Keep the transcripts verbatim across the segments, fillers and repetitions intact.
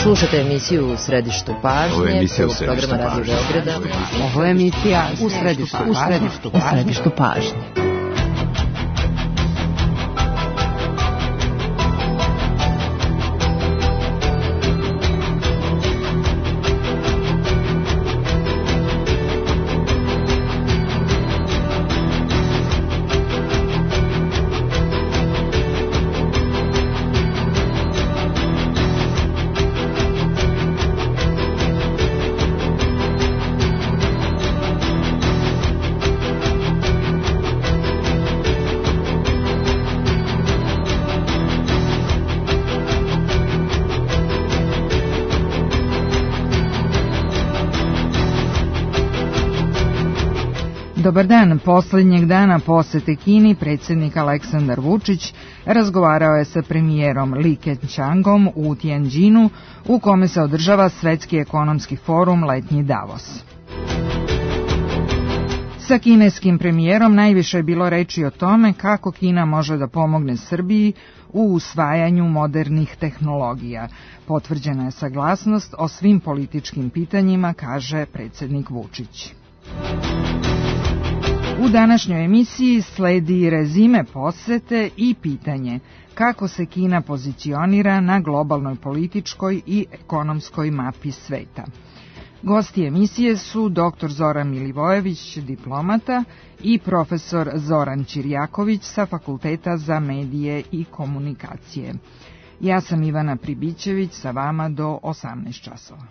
Slušate emisiju U središtu pažnje, prvog programa Radio Beograda. Ovo je emisija U središtu pažnje. U središtu pažnje. Dobar dan. Poslednjeg dana posete Kini predsjednik Aleksandar Vučić razgovarao je sa premijerom Li Keqiangom u Tianjinu, u kome se održava Svetski ekonomski forum Letnji Davos. Sa kineskim premijerom najviše je bilo reči o tome kako Kina može da pomogne Srbiji u usvajanju modernih tehnologija. Potvrđena je saglasnost o svim političkim pitanjima, kaže predsjednik Vučić. U današnjoj emisiji sledi rezime posete i pitanje kako se Kina pozicionira na globalnoj političkoj i ekonomskoj mapi sveta. Gosti emisije su doktor Zoran Milivojević, diplomata, i profesor Zoran Ćirjaković sa Fakulteta za medije i komunikacije. Ja sam Ivana Pribićević, sa vama do osamnaest časova.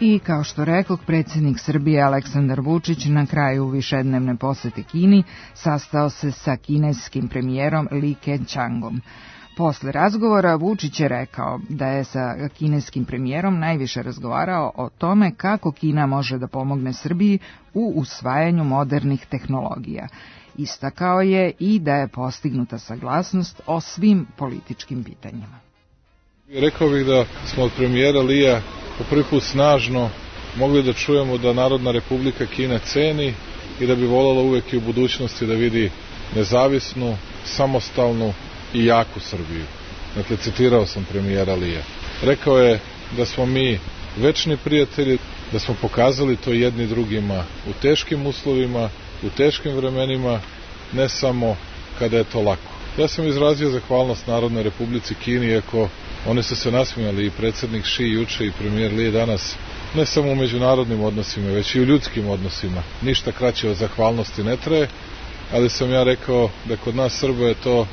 I kao što rekoh, predsjednik Srbije Aleksandar Vučić na kraju višednevne posete Kini sastao se sa kineskim premijerom Li Keqiangom. Posle razgovora Vučić je rekao da je sa kineskim premijerom najviše razgovarao o tome kako Kina može da pomogne Srbiji u usvajanju modernih tehnologija. Istakao je i da je postignuta saglasnost o svim političkim pitanjima. Rekao bih da smo od premijera Lija po prvi put snažno mogli da čujemo da Narodna Republika Kina ceni i da bi voljela uvek i u budućnosti da vidi nezavisnu, samostalnu i jaku Srbiju. Dakle, citirao sam premijera Lija. Rekao je da smo mi večni prijatelji, da smo pokazali to jedni drugima u teškim uslovima, u teškim vremenima, ne samo kada je to lako. Ja sam izrazio zahvalnost Narodnoj Republici Kini, iako oni su se nasmijali, i predsjednik Ši juče i premijer Li danas, ne samo u međunarodnim odnosima, već i u ljudskim odnosima. Ništa kraće od zahvalnosti ne traje, ali sam ja rekao da kod nas Srba je to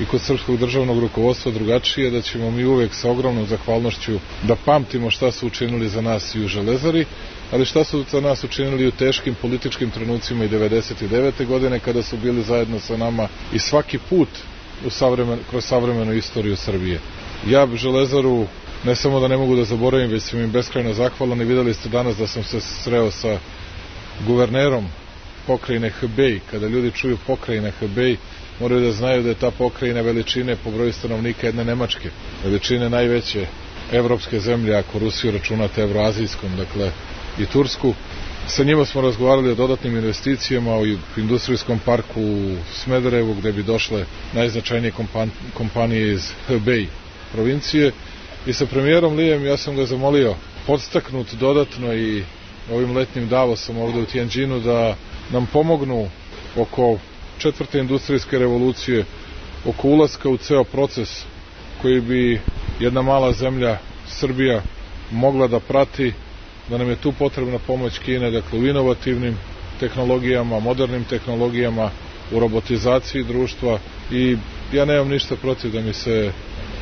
i kod srpskog državnog rukovodstva drugačije, da ćemo mi uvek sa ogromnom zahvalnošću da pamtimo šta su učinili za nas i u Železari, ali šta su za nas učinili u teškim političkim trenucima i devedeset devete godine kada su bili zajedno sa nama i svaki put u savremen, kroz savremenu istoriju Srbije. Ja Železaru ne samo da ne mogu da zaboravim, već sam im beskrajno zahvalan, i videli ste danas da sam se sreo sa guvernerom pokrajine Hebej. Kada ljudi čuju pokrajina Hebej, moraju da znaju da je ta pokrajina veličine po broju stanovnika jedne Nemačke, veličine najveće evropske zemlje, ako Rusiju računate evroazijskom, dakle i Tursku. Sa njima smo razgovarali o dodatnim investicijama u industrijskom parku u Smederevu, gde bi došle najznačajnije kompanije iz Hebej provincije, i sa premijerom Lijem ja sam ga zamolio, podstaknut dodatno i ovim letnjim Davosom ovde u Tianjinu, da nam pomognu oko četvrte industrijske revolucije, oko ulaska u ceo proces koji bi jedna mala zemlja, Srbija, mogla da prati, da nam je tu potrebna pomoć Kine, dakle u inovativnim tehnologijama, modernim tehnologijama, u robotizaciji društva, i ja nemam ništa protiv da mi se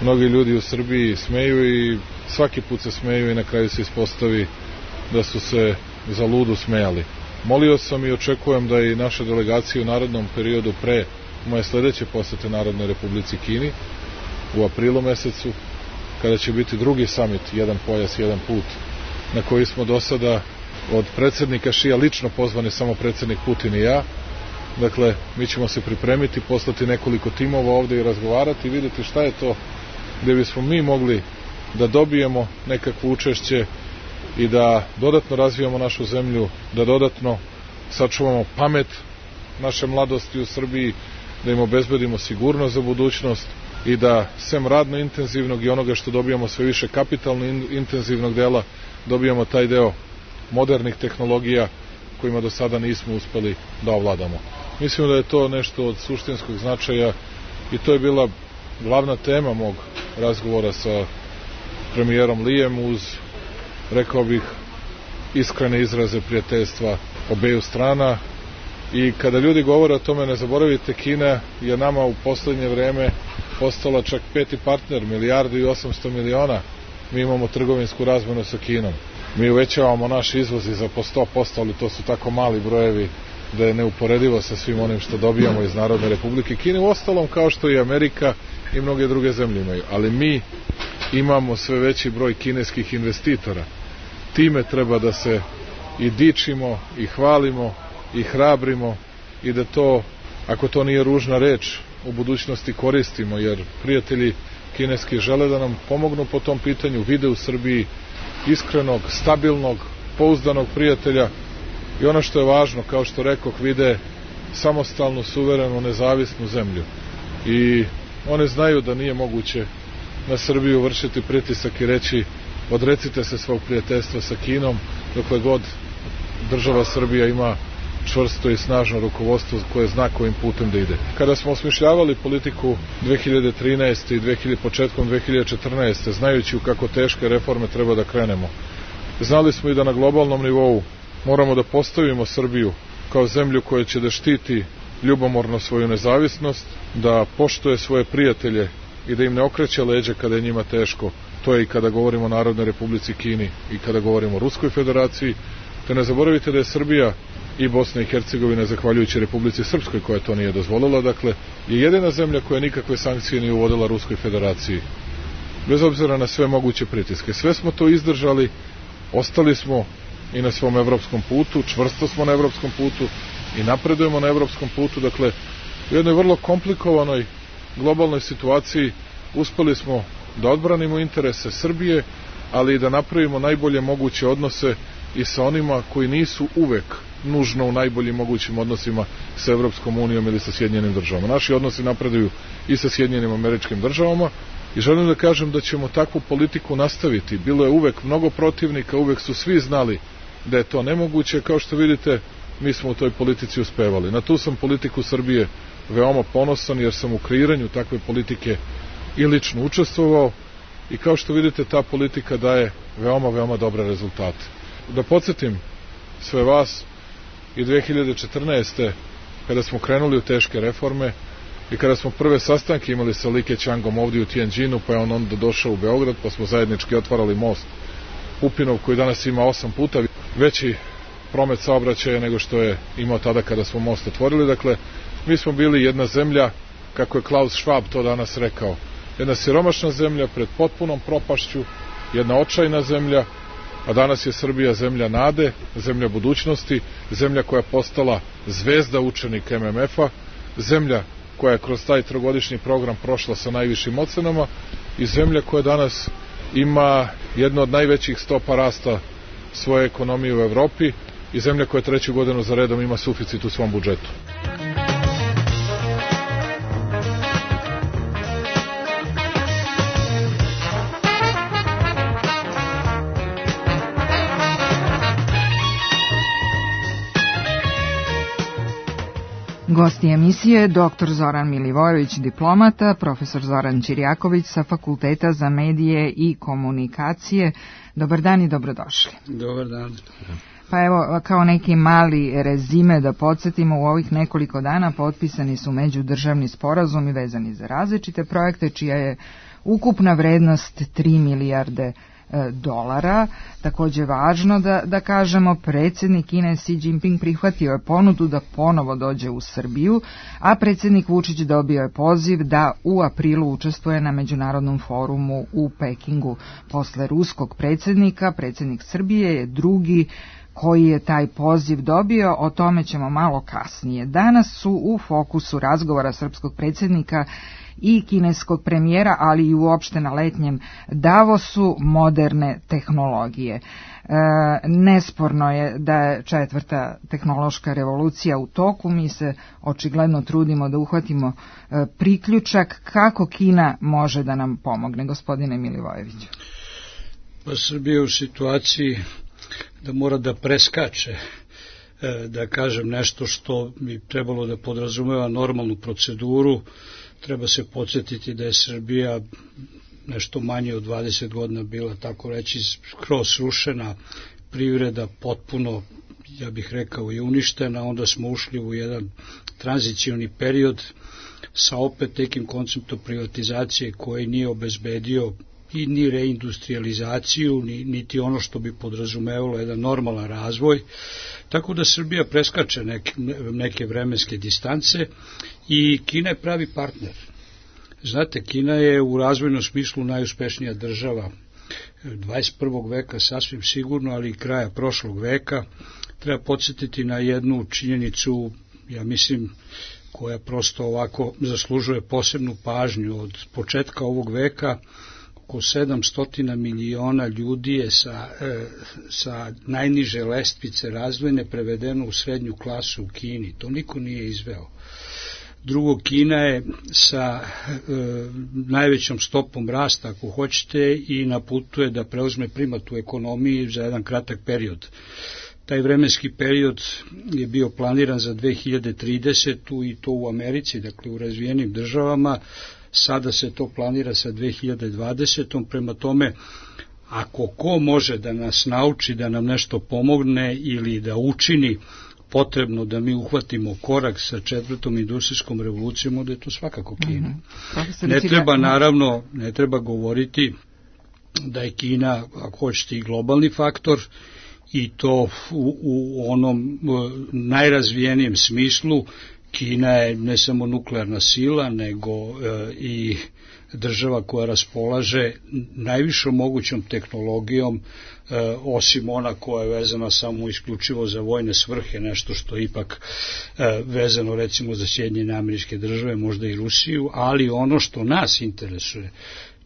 mnogi ljudi u Srbiji smeju, i svaki put se smeju i na kraju se ispostavi da su se za ludu smejali. Molio sam i očekujem da i naše delegacije u narednom periodu pre moje sljedeće posete Narodnoj Republici Kini u aprilu mesecu, kada će biti drugi summit, jedan pojas, jedan put, na koji smo do sada od predsjednika Šija lično pozvani samo predsjednik Putin i ja. Dakle, mi ćemo se pripremiti, poslati nekoliko timova ovdje i razgovarati i vidjeti šta je to gdje bismo mi mogli da dobijemo nekakvo učešće i da dodatno razvijamo našu zemlju, da dodatno sačuvamo pamet naše mladosti u Srbiji, da im obezbedimo sigurnost za budućnost i da sem radno intenzivnog i onoga što dobijamo sve više kapitalno intenzivnog dela, dobijamo taj deo modernih tehnologija kojima do sada nismo uspeli da ovladamo. Mislim da je to nešto od suštinskog značaja i to je bila glavna tema mog razgovora sa premijerom Lijem uz, rekao bih, iskrene izraze prijateljstva obeju strana. I kada ljudi govore o tome, ne zaboravite, Kina je nama u poslednje vreme postala čak peti partner, milijardu i osamsto miliona. Mi imamo trgovinsku razmenu sa Kinom. Mi uvećavamo naš izvoz i za po sto posto, ali to su tako mali brojevi da je neuporedivo sa svim onim što dobijamo iz Narodne Republike Kine, u ostalom kao što i Amerika i mnoge druge zemlje imaju. Ali mi imamo sve veći broj kineskih investitora. Time treba da se i dičimo, i hvalimo, i hrabrimo i da to, ako to nije ružna reč, u budućnosti koristimo, jer prijatelji kineski žele da nam pomognu po tom pitanju, vide u Srbiji iskrenog, stabilnog, pouzdanog prijatelja i ono što je važno, kao što rekoh, vide samostalnu, suverenu, nezavisnu zemlju. I one znaju da nije moguće na Srbiju vršiti pritisak i reći odrecite se svog prijateljstva sa Kinom, dokle god država Srbija ima čvrsto i snažno rukovodstvo koje zna kojim putem da ide. Kada smo osmišljavali politiku dve hiljade trinaeste i početkom dve hiljade četrnaeste. znajući u kako teške reforme treba da krenemo, znali smo i da na globalnom nivou moramo da postavimo Srbiju kao zemlju koja će da štiti ljubomorno svoju nezavisnost, da poštuje svoje prijatelje i da im ne okreće leđa kada je njima teško. To je i kada govorimo o Narodnoj Republici Kini i kada govorimo o Ruskoj Federaciji. Te ne zaboravite da je Srbija i Bosna i Hercegovina, zahvaljujući Republici Srpskoj koja to nije dozvolila, dakle, je jedina zemlja koja nikakve sankcije nije uvodila Ruskoj Federaciji. Bez obzira na sve moguće pritiske. Sve smo to izdržali, ostali smo i na svom evropskom putu, čvrsto smo na evropskom putu i napredujemo na evropskom putu. Dakle, u jednoj vrlo komplikovanoj globalnoj situaciji uspeli smo da odbranimo interese Srbije, ali i da napravimo najbolje moguće odnose i sa onima koji nisu uvek nužno u najboljim mogućim odnosima sa Evropskom unijom ili sa Sjedinjenim državama. Naši odnosi napreduju i sa Sjedinjenim Američkim državama i želim da kažem da ćemo takvu politiku nastaviti. Bilo je uvek mnogo protivnika, uvek su svi znali da je to nemoguće. Kao što vidite, mi smo u toj politici uspevali. Na tu sam politiku Srbije veoma ponosan, jer sam u kreiranju takve politike i lično učestvovao i kao što vidite, ta politika daje veoma, veoma dobre rezultate. Da podsjetim sve vas, i dve hiljade četrnaeste. kada smo krenuli u teške reforme i kada smo prve sastanke imali sa Li Keqiangom ovdje u Tianjinu, pa je on onda došao u Beograd, pa smo zajednički otvarali most Pupinov, koji danas ima osam puta veći promet saobraćaja nego što je imao tada kada smo most otvorili. Dakle, mi smo bili jedna zemlja, kako je Klaus Schwab to danas rekao, jedna siromašna zemlja pred potpunom propašću, jedna očajna zemlja, a danas je Srbija zemlja nade, zemlja budućnosti, zemlja koja je postala zvezda učenik M M F-a, zemlja koja je kroz taj trogodišnji program prošla sa najvišim ocenama i zemlja koja danas ima jednu od najvećih stopa rasta svoje ekonomije u Evropi i zemlja koja treću godinu za redom ima suficit u svom budžetu. Gosti emisije doktor Zoran Milivojević, diplomata, profesor Zoran Ćirjaković sa Fakulteta za medije i komunikacije. Dobar dan i dobrodošli. Dobar dan. Pa evo, kao neki mali rezime da podsjetimo, u ovih nekoliko dana potpisani su međudržavni sporazumi vezani za različite projekte, čija je ukupna vrednost tri milijarde dolara. Takođe važno da, da kažemo, predsjednik Kine Xi Jinping prihvatio je ponudu da ponovo dođe u Srbiju, a predsjednik Vučić dobio je poziv da u aprilu učestvuje na međunarodnom forumu u Pekingu. Posle ruskog predsjednika, predsjednik Srbije je drugi koji je taj poziv dobio, o tome ćemo malo kasnije. Danas su u fokusu razgovora srpskog predsjednika i kineskog premijera, ali i uopšte na letnjem Davosu moderne tehnologije. E, nesporno je da je četvrta tehnološka revolucija u toku, mi se očigledno trudimo da uhvatimo e, priključak. Kako Kina može da nam pomogne, gospodine Milivojeviću? Pa Srbija je u situaciji da mora da preskače, da kažem nešto što bi trebalo da podrazumeva normalnu proceduru. Treba se podsjetiti da je Srbija nešto manje od dvadeset godina bila, tako reći, skroz srušena, privreda potpuno, ja bih rekao, i uništena. Onda smo ušli u jedan tranzicioni period sa opet nekim konceptom privatizacije koji nije obezbedio i ni reindustrializaciju, ni, niti ono što bi podrazumevalo jedan normalan razvoj, tako da Srbija preskače neke, neke vremenske distance i Kina je pravi partner. Znate, Kina je u razvojnom smislu najuspešnija država dvadeset prvog veka, sasvim sigurno, ali i kraja prošlog veka. Treba podsjetiti na jednu činjenicu, ja mislim, koja prosto ovako zaslužuje posebnu pažnju. Od početka ovog veka oko sedamsto miliona ljudi je sa, e, sa najniže lestvice razvojne prevedeno u srednju klasu u Kini. To niko nije izveo. Drugo, Kina je sa e, najvećom stopom rasta, ako hoćete, i na putu je da preuzme primat u ekonomiji za jedan kratak period. Taj vremenski period je bio planiran za dve hiljade tridesetu i to u Americi, dakle u razvijenim državama. Sada se to planira sa dve hiljade dvadesetom. Prema tome, ako ko može da nas nauči, da nam nešto pomogne ili da učini potrebno da mi uhvatimo korak sa četvrtom industrijskom revolucijom, onda je to svakako Kina. Mm-hmm. Ne treba, naravno, ne treba govoriti da je Kina, ako hoćete, i globalni faktor, i to u, u onom najrazvijenijem smislu. Kina je ne samo nuklearna sila, nego e, i država koja raspolaže najvišom mogućom tehnologijom, e, osim ona koja je vezana samo isključivo za vojne svrhe, nešto što je ipak e, vezano recimo za Sjedinjene Američke Države, možda i Rusiju, ali ono što nas interesuje,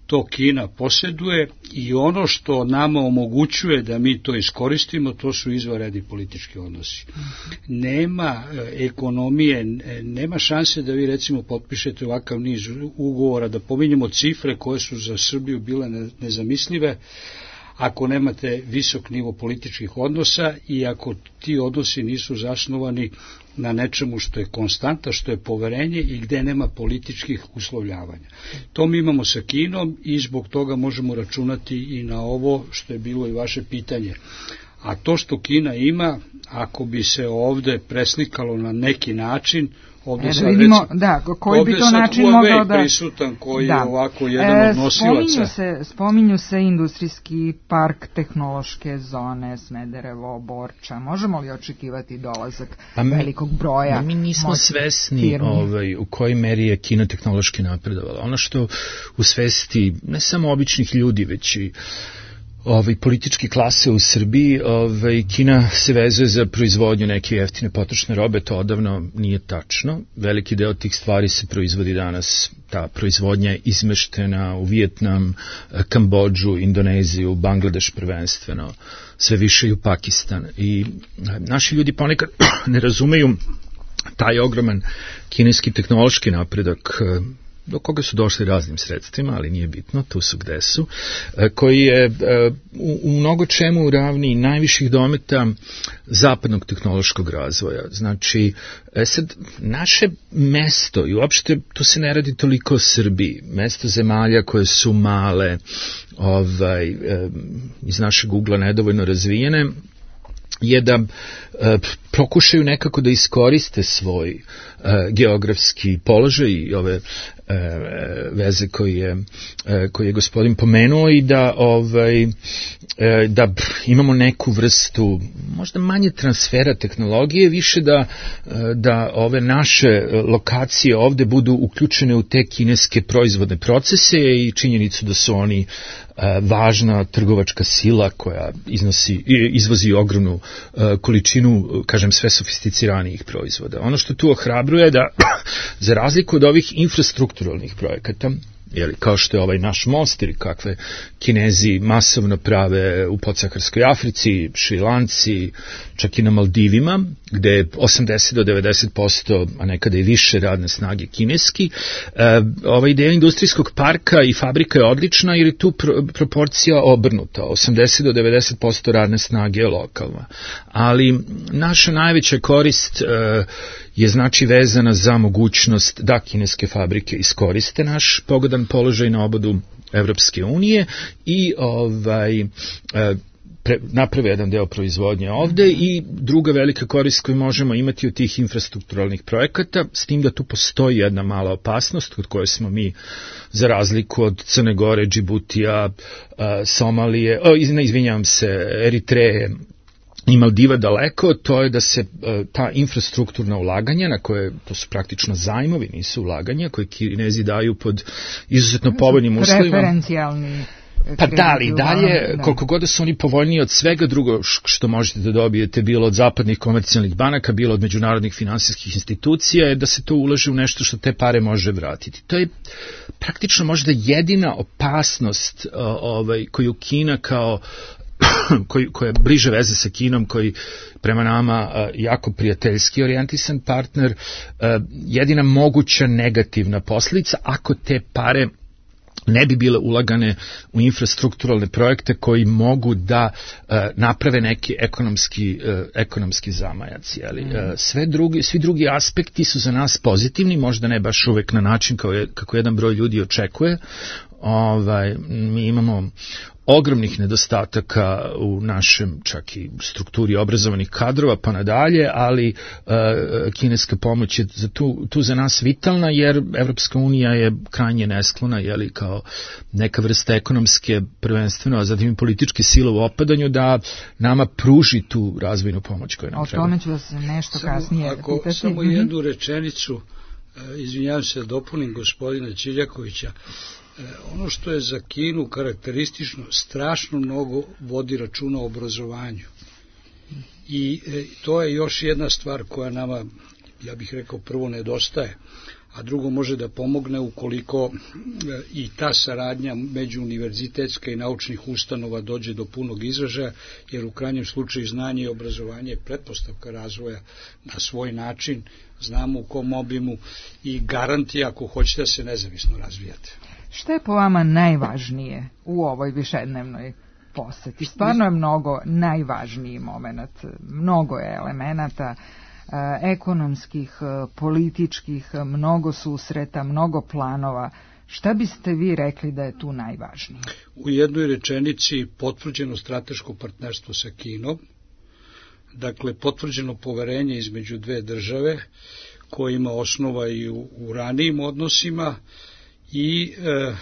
to Kina posjeduje, i ono što nama omogućuje da mi to iskoristimo, to su izvanredni politički odnosi. Nema ekonomije, nema šanse da vi recimo potpišete ovakav niz ugovora, da pominjemo cifre koje su za Srbiju bile nezamislive, ako nemate visok nivo političkih odnosa i ako ti odnosi nisu zasnovani na nečemu što je konstanta, što je poverenje i gde nema političkih uslovljavanja. To mi imamo sa Kinom i zbog toga možemo računati i na ovo što je bilo i vaše pitanje. A to što Kina ima, ako bi se ovde preslikalo na neki način, ovde, e, sad, vidimo, recimo, da, koji bi to način mogao da... prisutan koji da. je ovako jedan od nosilaca. Spominju se, spominju se industrijski park, tehnološke zone, Smederevo, Borča. Možemo li očekivati dolazak pa mi, velikog broja? Mi nismo svesni ovaj, u kojoj meri je Kina tehnološki napredovala. Ono što u svesti ne samo običnih ljudi, već i Ovaj, političke klase u Srbiji, ovaj, Kina se vezuje za proizvodnju neke jeftine potrošne robe, to odavno nije tačno. Veliki deo tih stvari se proizvodi danas, ta proizvodnja je izmeštena u Vijetnam, Kambodžu, Indoneziju, Bangladeš prvenstveno, sve više i u Pakistan. I naši ljudi ponekad ne razumeju taj ogroman kineski tehnološki napredak, do koga su došli raznim sredstvima, ali nije bitno, tu su gde su, koji je u, u mnogo čemu ravni najviših dometa zapadnog tehnološkog razvoja. Znači, sad, naše mesto, i uopšte tu se ne radi toliko o Srbiji, mesto zemalja koje su male, ovaj, iz našeg ugla nedovoljno razvijene, je da e, pokušaju nekako da iskoriste svoj e, geografski položaj i ove veze koji je, koji je gospodin pomenuo i da, ovaj, da imamo neku vrstu možda manje transfera tehnologije, više da, da ove naše lokacije ovde budu uključene u te kineske proizvodne procese i činjenicu da su oni važna trgovačka sila koja iznosi, izvozi ogromnu količinu, kažem, sve sofisticiranijih proizvoda. Ono što tu ohrabruje da, za razliku od ovih infrastrukturalnih projekata, jeli, kao što je ovaj naš most ili kakve Kinezi masovno prave u podsaharskoj Africi, Šrilanci, čak i na Maldivima, gde je osamdeset do devedeset posto, a nekada i više radne snage kineski. E, ova ideja industrijskog parka i fabrika je odlična jer je tu pro, proporcija obrnuta. osamdeset do devedeset posto radne snage je lokalna. Ali naša najveća korist e, je znači vezana za mogućnost da kineske fabrike iskoriste naš pogodan položaj na obodu Evropske unije i ovaj, pre, naprave jedan deo proizvodnje ovde i druga velika korist koju možemo imati od tih infrastrukturalnih projekata, s tim da tu postoji jedna mala opasnost kod koje smo mi, za razliku od Crne Gore, Džibutija, Somalije, o, ne izvinjavam se, Eritreje i Maldiva daleko, to je da se ta infrastrukturna ulaganja, na koje, to su praktično zajmovi, nisu ulaganja, koje Kinezi daju pod izuzetno povoljnim uslovima. Preferencijalni. Pa da, ali dalje, koliko god da su oni povoljniji od svega drugo što možete da dobijete, bilo od zapadnih komercijalnih banaka, bilo od međunarodnih finansijskih institucija, je da se to ulaže u nešto što te pare može vratiti. To je praktično možda jedina opasnost ovaj, koju Kina kao Koji, koja je bliže veze sa Kinom, koji prema nama uh, jako prijateljski orijentisan partner, uh, jedina moguća negativna posljedica ako te pare ne bi bile ulagane u infrastrukturalne projekte koji mogu da uh, naprave neki ekonomski, uh, ekonomski zamajac. Jeli? Mm. Uh, sve drugi, svi drugi aspekti su za nas pozitivni, možda ne baš uvek na način kao je, kako jedan broj ljudi očekuje. Ovaj, mi imamo ogromnih nedostataka u našem čak i strukturi obrazovanih kadrova pa nadalje, ali uh, kineska pomoć je za tu, tu za nas vitalna jer Evropska unija je krajnje nesklona, jeli, kao neka vrsta ekonomske prvenstveno, a zatim i političke sile u opadanju da nama pruži tu razvojnu pomoć koju nam treba. O tome ću vas nešto samo, kasnije ako, pitati. Samo jednu rečenicu, izvinjavam se da dopunim gospodina Ćiljakovića. Ono što je za Kinu karakteristično, strašno mnogo vodi računa o obrazovanju. I to je još jedna stvar koja nama, ja bih rekao, prvo nedostaje, a drugo može da pomogne ukoliko i ta saradnja među univerzitetska i naučnih ustanova dođe do punog izražaja, jer u krajnjem slučaju znanje i obrazovanje je pretpostavka razvoja na svoj način, znamo u kom obimu i garanti ako hoćete da se nezavisno razvijate. Šta je po vama najvažnije u ovoj višednevnoj poseti? Stvarno je mnogo najvažniji moment, mnogo je elemenata ekonomskih, političkih, mnogo susreta, mnogo planova. Šta biste vi rekli da je tu najvažnije? U jednoj rečenici potvrđeno strateško partnerstvo sa Kinom, dakle potvrđeno poverenje između dve države koje ima osnova i u, u ranijim odnosima i e,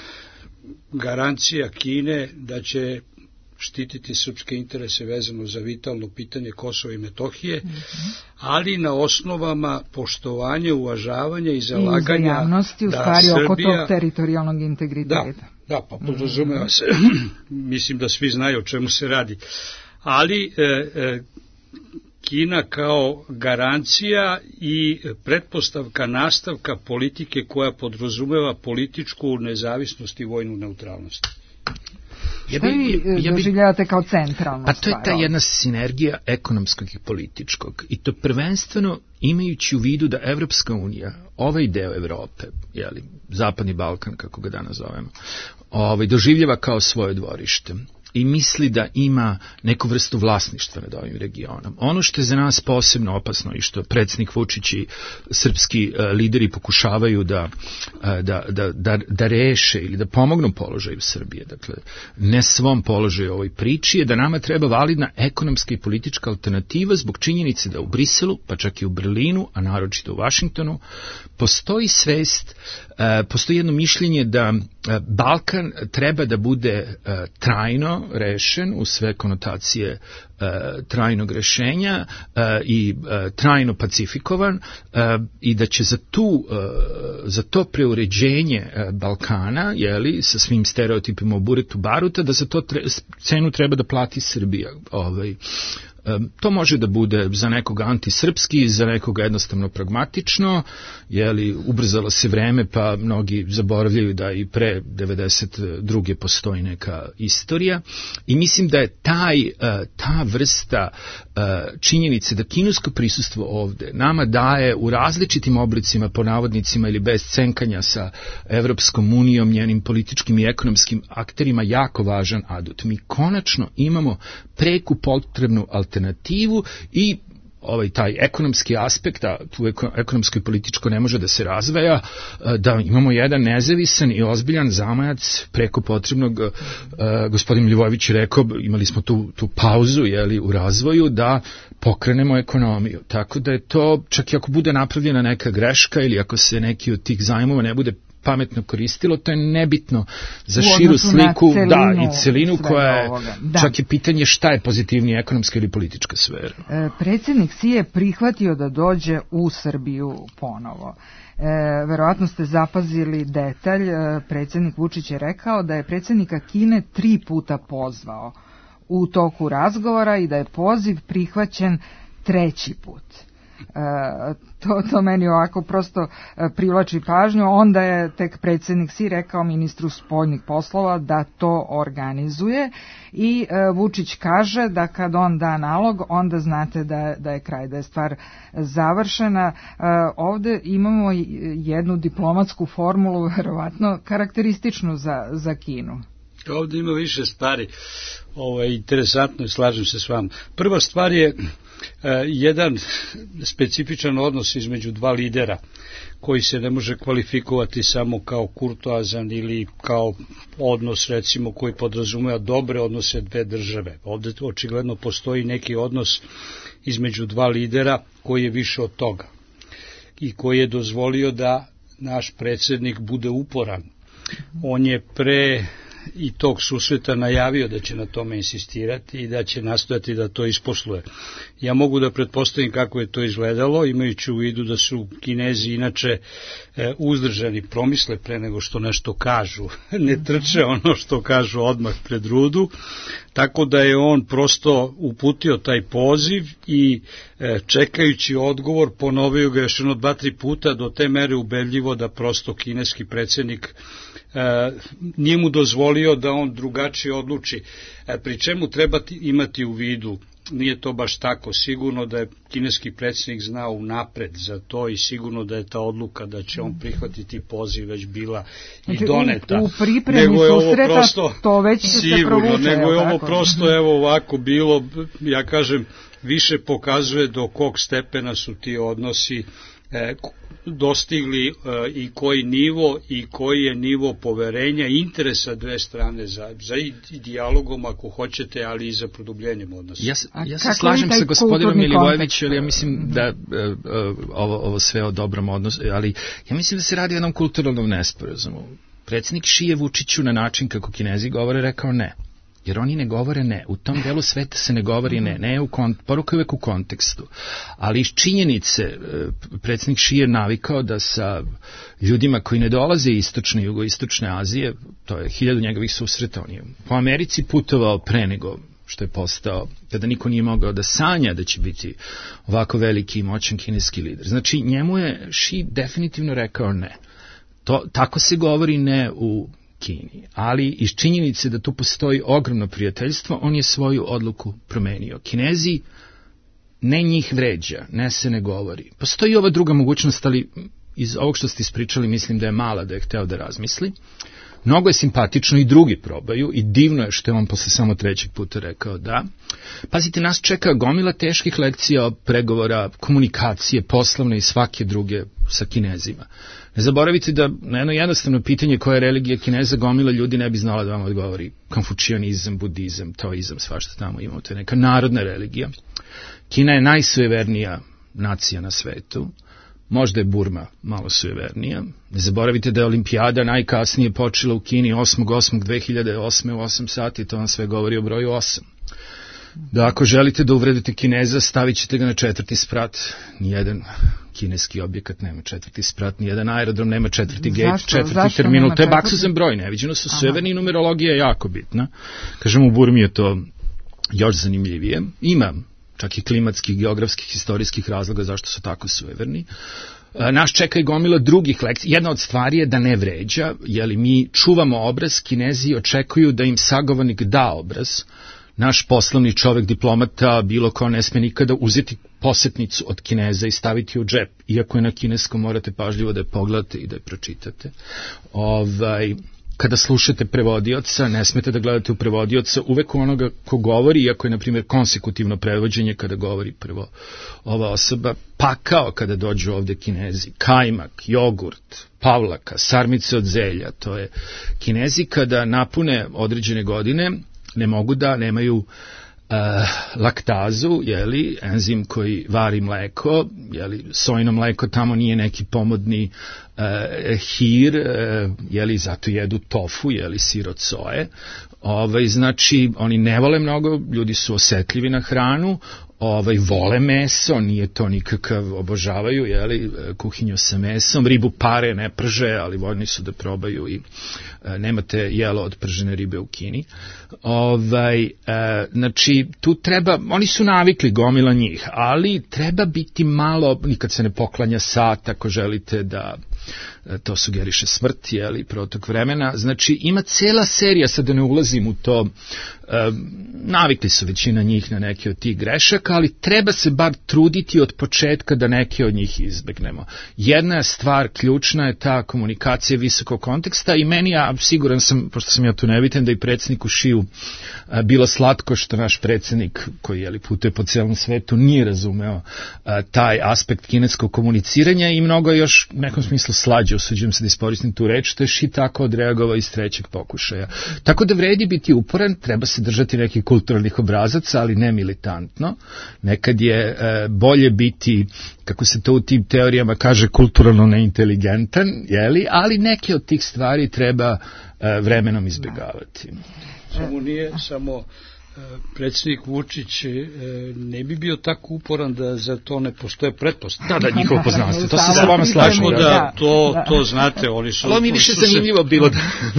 garancija Kine da će štititi srpske interese vezano za vitalno pitanje Kosova i Metohije, mm-hmm. ali na osnovama poštovanja, uvažavanja i zalaganja I uzajamnosti, u da stvari Srbija, oko tog teritorijalnog integriteta. Da, da pa podrazumeva se, mislim da svi znaju o čemu se radi. Ali e, e, Kina kao garancija i pretpostavka nastavka politike koja podrazumeva političku nezavisnost i vojnu neutralnost. Ja bi, vi ja bi, doživljavate kao centralno? Pa to je ta jedna sinergija ekonomskog i političkog. I to prvenstveno imajući u vidu da Evropska unija, ovaj deo Evrope, jeli, Zapadni Balkan, kako ga danas zovemo, ovaj, doživljava kao svoje dvorište. i misli da ima neku vrstu vlasništva nad ovim regionom. Ono što je za nas posebno opasno i što predsjednik Vučić i srpski lideri pokušavaju da, da, da, da, da reše ili da pomognu položaju Srbije, dakle ne svom položaju ovoj priči, je da nama treba validna ekonomska i politička alternativa zbog činjenice da u Briselu, pa čak i u Berlinu, a naročito u Vašingtonu, postoji svest, postoji jedno mišljenje da Balkan treba da bude trajno rešen u sve konotacije trajnog rešenja i trajno pacifikovan i da će za tu za to preuređenje Balkana, jeli, sa svim stereotipima o buretu baruta, da za to tre, cenu treba da plati Srbija. Ovaj to može da bude za nekoga antisrpski, za nekoga jednostavno pragmatično, jeli, ubrzalo se vreme, pa mnogi zaboravljaju da i pre devedeset druge postoji neka istorija i mislim da je taj, ta vrsta činjenice da kinesko prisustvo ovde nama daje u različitim oblicima, po navodnicima ili bez cenkanja sa Evropskom unijom, njenim političkim i ekonomskim akterima, jako važan adut. Mi konačno imamo preku potrebnu alternativu i ovaj taj ekonomski aspekt, a tu ekonomsko i političko ne može da se razveja, da imamo jedan nezavisan i ozbiljan zamajac preko potrebnog, uh, gospodin Ljivojević rekao, imali smo tu, tu pauzu, jeli, u razvoju, da pokrenemo ekonomiju. Tako da je to, čak i ako bude napravljena neka greška ili ako se neki od tih zajmova ne bude pametno koristilo, to je nebitno za širu sliku, celinu, da, i celinu koja je, da. Čak je pitanje šta je pozitivnija ekonomska ili politička sfera. E, predsjednik Si je prihvatio da dođe u Srbiju ponovo. E, verovatno ste zapazili detalj, e, predsjednik Vučić je rekao da je predsjednika Kine tri puta pozvao u toku razgovora i da je poziv prihvaćen treći put. E, to, to meni ovako prosto e, privlači pažnju. Onda je tek predsjednik Si rekao ministru spoljnih poslova da to organizuje i e, Vučić kaže da kad on da nalog, onda znate da, da je kraj, da je stvar završena. E, ovde imamo jednu diplomatsku formulu, verovatno karakterističnu za, za Kinu. Ovde ima više stvari. Ovo je interesantno i slažem se s vama. Prva stvar je uh, jedan specifičan odnos između dva lidera koji se ne može kvalifikovati samo kao kurtoazan ili kao odnos, recimo, koji podrazumeva dobre odnose dve države. Ovde očigledno postoji neki odnos između dva lidera koji je više od toga i koji je dozvolio da naš predsjednik bude uporan. On je pre i tog susreta najavio da će na tome insistirati i da će nastojati da to isposluje. Ja mogu da pretpostavim kako je to izgledalo, imajući u vidu da su Kinezi inače e, uzdržani, promisle pre nego što nešto kažu, ne trče ono što kažu odmah pred rudu, tako da je on prosto uputio taj poziv i e, čekajući odgovor ponovio ga još jedno dva, tri puta do te mere ubedljivo da prosto kineski predsjednik e, nije mu dozvolio da on drugačije odluči. E, pri čemu treba imati u vidu, nije to baš tako, sigurno da je kineski predsjednik znao unapred za to i sigurno da je ta odluka da će on prihvatiti poziv već bila i doneta. U, u pripremi susreta prosto, to već sigurno, se provuče. Nego je ovo prosto evo ovako bilo, ja kažem, više pokazuje do kog stepena su ti odnosi e, dostigli e, i koji nivo i koji je nivo poverenja i interesa dve strane za, za i, i dijalogom ako hoćete, ali i za produbljenjem odnosa. Ja, ja se slažem sa gospodinom Milivojevićem, ali ja mislim da uh, ovo, ovo sve o dobrom odnosu, ali ja mislim da se radi o jednom kulturalnom nesporazumu. Predsjednik Si je Vučiću na način kako Kinezi govore rekao ne. Jer oni ne govore ne. U tom delu sveta se ne govori ne. Ne u kont, poruka je uvek u kontekstu. Ali iz činjenice, predsjednik Si je navikao da sa ljudima koji ne dolaze iz istočne i jugoistočne Azije, to je hiljadu njegovih susreta, on je po Americi putovao pre nego što je postao, kada niko nije mogao da sanja da će biti ovako veliki i moćan kineski lider. Znači, njemu je Si definitivno rekao ne. To, tako se govori ne u Kini, ali iz činjenice da tu postoji ogromno prijateljstvo, on je svoju odluku promenio. Kinezi ne njih vređa, ne se ne govori. Postoji ova druga mogućnost, ali iz ovog što ste ispričali mislim da je mala, da je hteo da razmisli. Mnogo je simpatično i drugi probaju i divno je što je on posle samo trećeg puta rekao da. Pazite, nas čeka gomila teških lekcija, pregovora, komunikacije, poslovne i svake druge sa Kinezima. Ne zaboravite da na jedno jednostavno pitanje koja je religija Kineza, gomila ljudi ne bi znala da vam odgovori. Konfučionizam, budizam, taoizam, svašta tamo imamo. To je neka narodna religija. Kina je najsujevernija nacija na svetu. Možda je Burma malo sujevernija. Ne zaboravite da je olimpijada najkasnije počela u Kini osmog osmog dve hiljade osme u osam sati, to vam sve govori o broju osam. Da ako želite da uvredite Kineza, stavit ćete ga na četvrti sprat. Nijedan kineski objekat nema četvrti sprat, nijedan aerodrom nema četvrti gate, četvrti terminal. To je baksuzan broj, neviđeno su sujeverni i numerologija je jako bitna. Kažem, u Burmi je to još zanimljivije. Ima čak i klimatskih, geografskih, historijskih razloga zašto su tako sujeverni. Naš čeka i gomila drugih lekcija. Jedna od stvari je da ne vređa, jeli mi čuvamo obraz, Kinezi očekuju da im sagovornik da obraz. Naš poslovni čovek, diplomata, bilo ko ne sme nikada uzeti posetnicu od Kineza i staviti u džep. Iako je na kineskom, morate pažljivo da je pogledate i da je pročitate. Ovaj... Kada slušate prevodioca, ne smete da gledate u prevodioca, uvek u onoga ko govori, iako je, na primjer, konsekutivno prevođenje kada govori prvo ova osoba, pakao kada dođu ovde Kinezi, kajmak, jogurt, pavlaka, sarmice od zelja, to je Kinezi kada napune određene godine, ne mogu da nemaju Uh, laktazu, jeli, enzim koji vari mleko, jeli, sojino mleko tamo nije neki pomodni uh, hir, uh, jeli, zato jedu tofu, jeli, sir od soje. Ovaj, znači, oni ne vole mnogo, ljudi su osetljivi na hranu, ovaj, vole meso, nije to nikakav, obožavaju, jeli, kuhinju sa mesom, ribu pare ne prže, ali voljni su da probaju i e, nemate jelo od pržene ribe u Kini. Ovaj, e, znači, tu treba, oni su navikli gomila njih, ali treba biti malo, nikad se ne poklanja sat ako želite da to sugeriše smrt, jeli, protok vremena. Znači, ima cela serija, sad da ne ulazim u to, e, navikli su većina njih na neke od tih grešaka, ali treba se bar truditi od početka da neke od njih izbegnemo. Jedna stvar ključna je ta komunikacija visokog konteksta i meni, ja siguran sam, pošto sam ja tu nebitan, da i predsjedniku Šiju a, bilo slatko što naš predsjednik, koji jeli, putuje po celom svetu, nije razumeo a, taj aspekt kineskog komuniciranja i mnogo je još u nekom smislu slađe, usuđujem se da iskoristim tu reč, što je Ši tako odreagovao iz trećeg pokušaja. Tako da vredi biti uporan, treba se držati nekih kulturalnih obrazaca, ali ne militantno. Nekad je e, bolje biti, kako se to u tim teorijama kaže, kulturalno neinteligentan, jeli? Ali neke od tih stvari treba e, vremenom izbjegavati. Samo nije samo predsjednik Vučić ne bi bio tako uporan da za to ne postoje pretpostavke. Da, da, njihovo poznanstvo, to se sa vama slažem. Da, da, to, to znate, oni su... Ali mi više zanimljivo bilo da...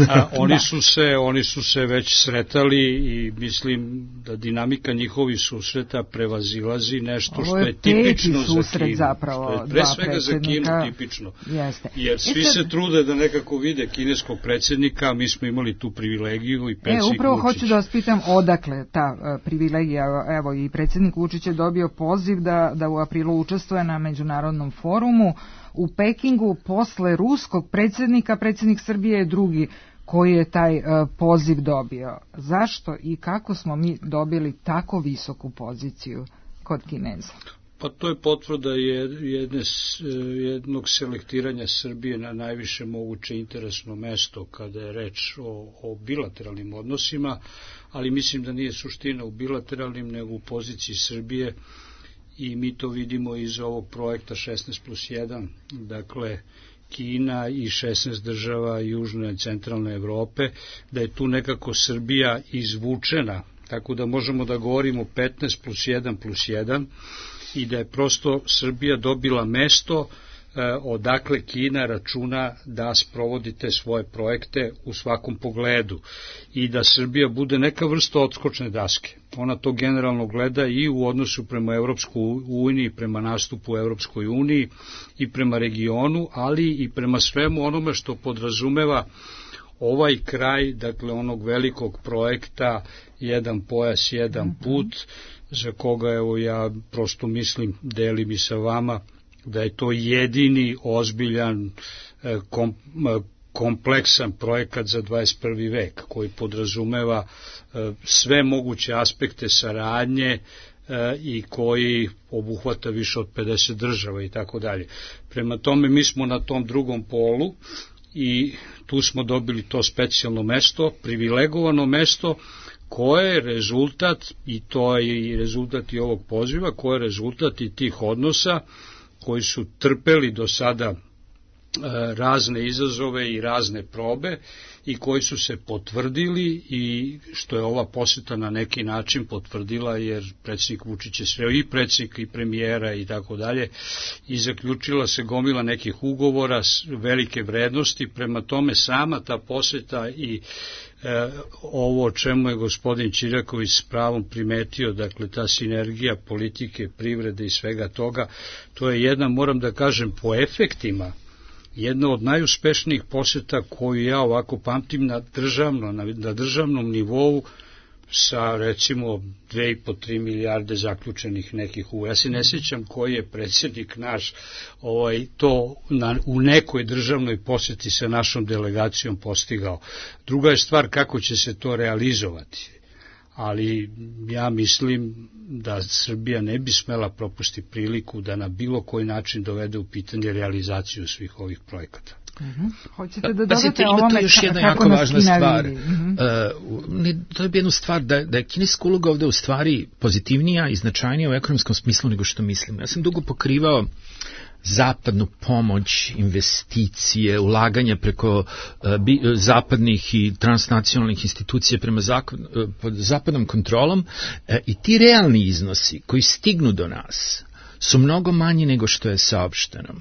A, oni, su se, oni su se već sretali i mislim da dinamika njihovi susreta prevazilazi nešto što je tipično za Kinu. Zapravo, što je pre svega za Kinu tipično. Jeste. Jer svi sad... se trude da nekako vide kineskog predsjednika, mi smo imali tu privilegiju i predsjednik Vučić. E, upravo Vučić. Hoću da vas pitam odakle ta uh, privilegija, evo i predsjednik Vučić je dobio poziv da, da u aprilu učestvuje na međunarodnom forumu u Pekingu posle ruskog predsjednika, predsjednik Srbije je drugi koji je taj uh, poziv dobio. Zašto i kako smo mi dobili tako visoku poziciju kod Kineza? Pa to je potvrda jedne, jednog selektiranja Srbije na najviše moguće interesno mesto kada je reč o, o bilateralnim odnosima, ali mislim da nije suština u bilateralnim nego u poziciji Srbije i mi to vidimo iz ovog projekta šesnaest plus jedan, dakle Kina i šesnaest država južne i centralne Evrope, da je tu nekako Srbija izvučena, tako da možemo da govorimo petnaest plus jedan plus jedan, i da je prosto Srbija dobila mesto eh, odakle Kina računa da sprovodi te svoje projekte u svakom pogledu i da Srbija bude neka vrsta odskočne daske. Ona to generalno gleda i u odnosu prema Evropskoj uniji, prema nastupu u Evropskoj uniji i prema regionu, ali i prema svemu onome što podrazumeva ovaj kraj, dakle onog velikog projekta jedan pojas, jedan put, za koga evo ja prosto mislim, delim i sa vama, da je to jedini ozbiljan kom, kompleksan projekat za dvadeset prvi vek koji podrazumeva sve moguće aspekte saradnje i koji obuhvata više od pedeset država i tako dalje. Prema tome mi smo na tom drugom polu i tu smo dobili to specijalno mesto, privilegovano mesto koje je rezultat, i to je i rezultat i ovog poziva, koje je rezultat i tih odnosa koji su trpeli do sada razne izazove i razne probe i koji su se potvrdili i što je ova poseta na neki način potvrdila, jer predsjednik Vučić je sve i predsjednik i premijera i tako dalje i zaključila se gomila nekih ugovora velike vrednosti. Prema tome sama ta poseta i e, ovo o čemu je gospodin Čirjaković s pravom primetio, dakle ta sinergija politike, privrede i svega toga, to je jedna, moram da kažem, po efektima jedna od najuspešnijih poseta koju ja ovako pamtim na, državno, na, na državnom nivou sa recimo dve i po tri milijarde zaključenih nekih u. Ja se ne sjećam koji je predsjednik naš ovaj, to na, u nekoj državnoj poseti sa našom delegacijom postigao. Druga je stvar kako će se to realizovati. Ali ja mislim da Srbija ne bi smela propustiti priliku da na bilo koji način dovede u pitanje realizaciju svih ovih projekata. Uh-huh. Hoćete da dodate pa, ovome još jedna kako jako važna stvar. Uh-huh. Uh, ne, to je jedna stvar da, da je kineska uloga ovde u stvari pozitivnija i značajnija u ekonomskom smislu nego što mislim. Ja sam dugo pokrivao zapadnu pomoć, investicije, ulaganja preko uh, bi, uh, zapadnih i transnacionalnih institucija prema zakon, uh, pod zapadnom kontrolom uh, i ti realni iznosi koji stignu do nas su mnogo manji nego što je saopšteno.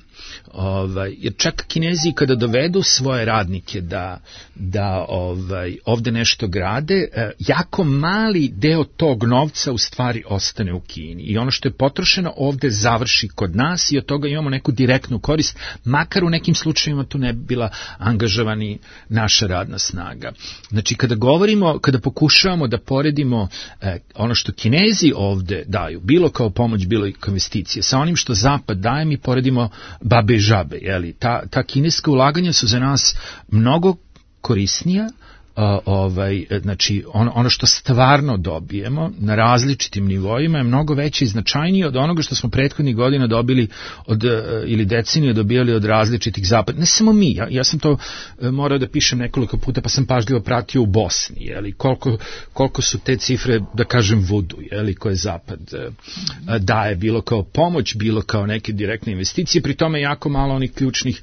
Ovaj, jer čak Kinezi kada dovedu svoje radnike da, da ovaj, ovde nešto grade, eh, jako mali deo tog novca u stvari ostane u Kini. I ono što je potrošeno ovde završi kod nas i od toga imamo neku direktnu korist, makar u nekim slučajevima tu ne bi bila angažovani naša radna snaga. Znači kada govorimo, kada pokušavamo da poredimo eh, ono što Kinezi ovde daju, bilo kao pomoć, bilo i kao investicije, sa onim što Zapad daje, mi poredimo babe i žabe, jeli? Ta, ta kineska ulaganja su za nas mnogo korisnija, uh, ovaj, znači ono, ono što stvarno dobijemo na različitim nivoima je mnogo veće i značajnije od onoga što smo prethodnih godina dobili od, uh, ili decenije dobijali od različitih zapada. Ne samo mi, ja, ja sam to uh, morao da pišem nekoliko puta, pa sam pažljivo pratio u Bosni, jeli? Koliko, koliko su te cifre, da kažem, vudu, jeli, koje Zapad uh, daje, bilo kao pomoć, bilo kao neke direktne investicije, pri tome jako malo onih ključnih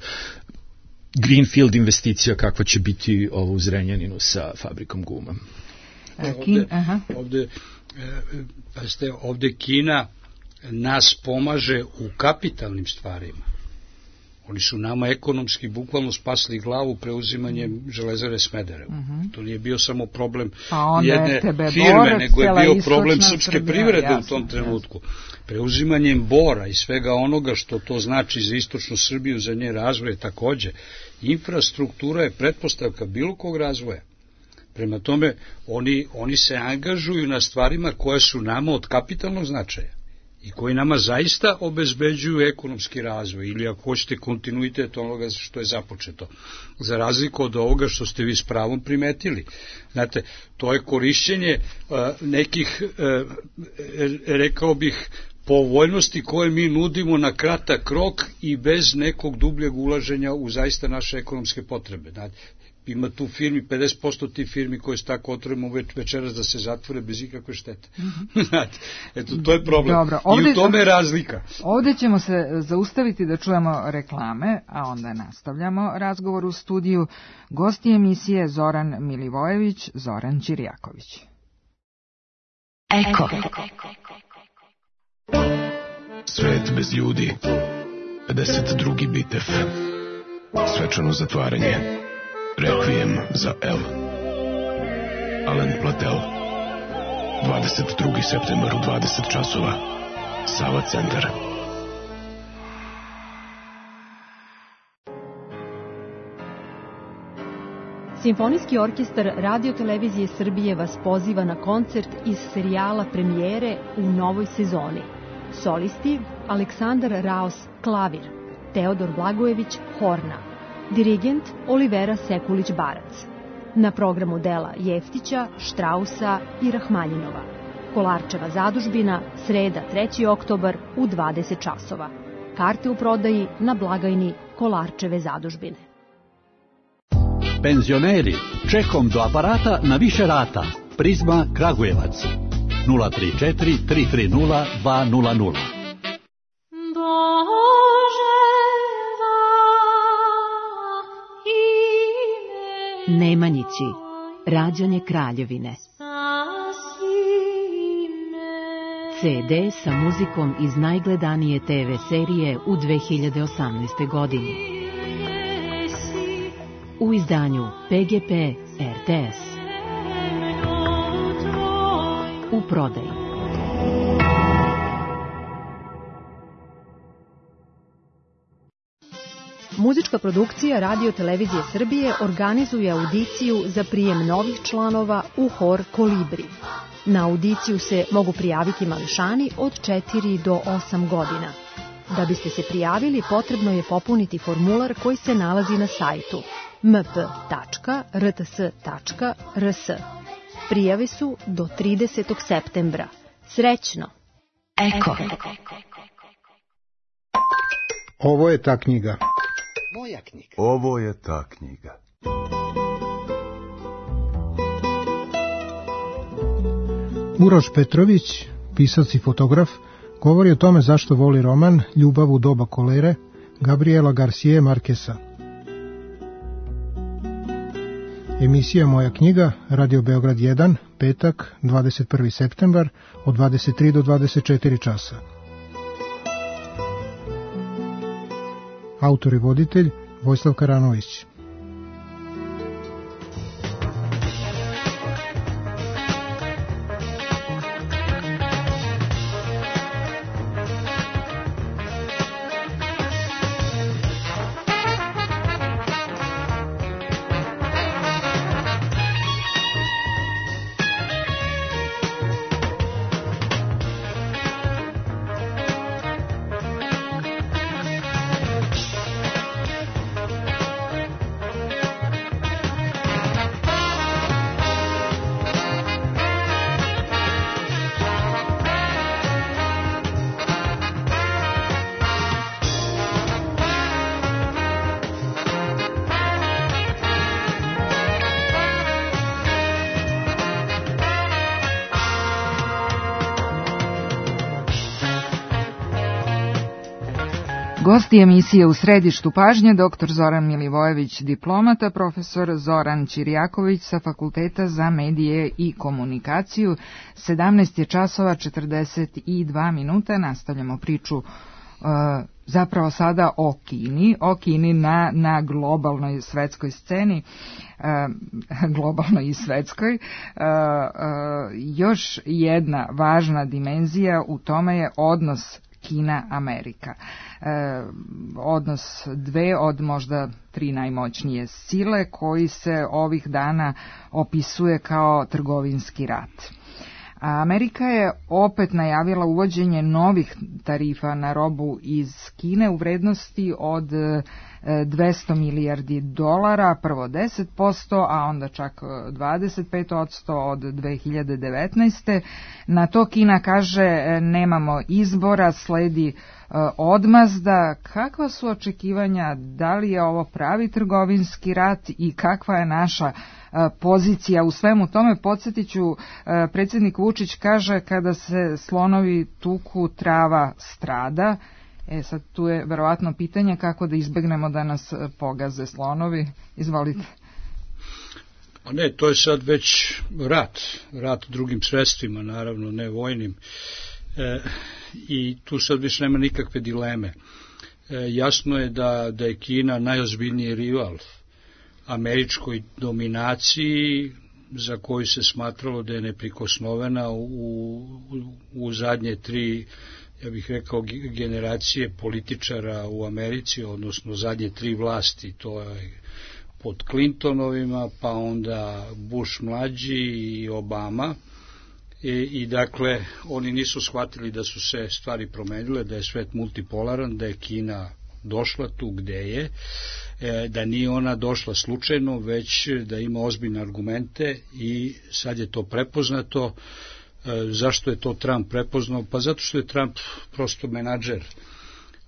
greenfield investicija kakva će biti ovo u Zrenjaninu sa fabrikom guma. Ovde, ovde, pazite, ovde Kina nas pomaže u kapitalnim stvarima. Oni su nama ekonomski bukvalno spasli glavu preuzimanjem Železare Smederevo. Uh-huh. To nije bio samo problem pa jedne firme, nego je bio problem srpske Srbija, privrede jasno, u tom trenutku. Jasno. Preuzimanjem Bora i svega onoga što to znači za istočnu Srbiju, za njen razvoj takođe. Infrastruktura je pretpostavka bilo kog razvoja. Prema tome, oni, oni se angažuju na stvarima koje su nama od kapitalnog značaja i koji nama zaista obezbeđuju ekonomski razvoj ili ako hoćete kontinuitet onoga što je započeto, za razliku od ovoga što ste vi s pravom primetili. Znate, to je korišćenje uh, nekih, uh, rekao bih, povoljnosti koje mi nudimo na kratak rok i bez nekog dubljeg ulaženja u zaista naše ekonomske potrebe. Znate, ima tu firmi, pedeset posto tih firmi koje su tako otvorimo već, večeras da se zatvore bez ikakve štete. Mm-hmm. Eto, to je problem. Dobro, ovdje, i u tome je razlika. Ovdje ćemo se zaustaviti da čujemo reklame, a onda nastavljamo razgovor u studiju. Gosti emisije Zoran Milivojević, Zoran Čirjaković. Eko. Svet bez ljudi. pedeset drugi bitev. Svečano zatvaranje. Rekvijem za El. Alen Platel. dvadeset drugi septembar u dvadeset časova. Sava centar. Simfonijski orkestar Radio-televizije Srbije vas poziva na koncert iz serijala Premijere u novoj sezoni. Solisti Aleksandar Raos, klavir, Teodor Blagojević, horna, dirigent Olivera Sekulić-Barac. Na programu dela Jeftića, Štrausa i Rahmaljinova. Kolarčeva zadužbina, sreda treći oktobar u dvadeset časova. Karte u prodaji na blagajni Kolarčeve zadužbine. Penzioneri, čekom do aparata na više rata. Prizma Kragujevac. nula tri četiri tri tri nula dva nula nula. Nemanjići, rađanje Kraljevine. ce de sa muzikom iz najgledanije te ve serije u dve hiljade osamnaestoj. godini. U izdanju pe ge pe er te es. U prodaji. Muzička produkcija Radio Televizije Srbije organizuje audiciju za prijem novih članova u hor Kolibri. Na audiciju se mogu prijaviti mališani od četiri do osam godina. Da biste se prijavili, potrebno je popuniti formular koji se nalazi na sajtu em pe tačka er te es tačka er es. Prijave su do tridesetog septembra. Srećno! Eko. Ovo je ta knjiga. Moja knjiga. Ovo je ta knjiga. Uroš Petrović, pisac i fotograf, govori o tome zašto voli roman Ljubav u doba kolere Gabriela Garcije Markesa. Emisija Moja knjiga, Radio Beograd jedan, petak, dvadeset prvi septembar, od dvadeset tri do dvadeset četiri časa. Autor i voditelj Vojislav Karanović. Gosti emisije U središtu pažnje, doktor Zoran Milivojević, diplomata, profesor Zoran Ćirjaković sa Fakulteta za medije i komunikaciju. sedamnaest je časova četrdeset dva minuta, nastavljamo priču uh, zapravo sada o Kini, o Kini na, na globalnoj svetskoj sceni, uh, globalnoj i svetskoj. Uh, uh, još jedna važna dimenzija u tome je odnos Kina-Amerika. E, odnos dve od možda tri najmoćnije sile koji se ovih dana opisuje kao trgovinski rat. A Amerika je opet najavila uvođenje novih tarifa na robu iz Kine u vrednosti od dvesta milijardi dolara, prvo deset posto, a onda čak dvadeset pet posto od dve hiljade devetnaeste. Na to Kina kaže nemamo izbora, sledi odmazda. Kakva su očekivanja, da li je ovo pravi trgovinski rat i kakva je naša pozicija u svemu tome? Podsjetit ću, predsjednik Vučić kaže kada se slonovi tuku, trava strada. E sad tu je verovatno pitanje kako da izbegnemo da nas pogaze slonovi. Izvolite. A ne, to je sad već rat, rat drugim sredstvima, naravno, ne vojnim. E, I tu sad više nema nikakve dileme. E, jasno je da, da je Kina najozbiljniji rival američkoj dominaciji, za koju se smatralo da je neprikosnovena u, u, u zadnje tri, ja bih rekao, generacije političara u Americi, odnosno zadnje tri vlasti, to je pod Clintonovima, pa onda Bush mlađi i Obama. I, i dakle, oni nisu shvatili da su se stvari promenile, da je svet multipolaran, da je Kina došla tu gde je, da nije ona došla slučajno, već da ima ozbiljne argumente i sad je to prepoznato. Zašto je to Trump prepoznao? Pa zato što je Trump prosto menadžer.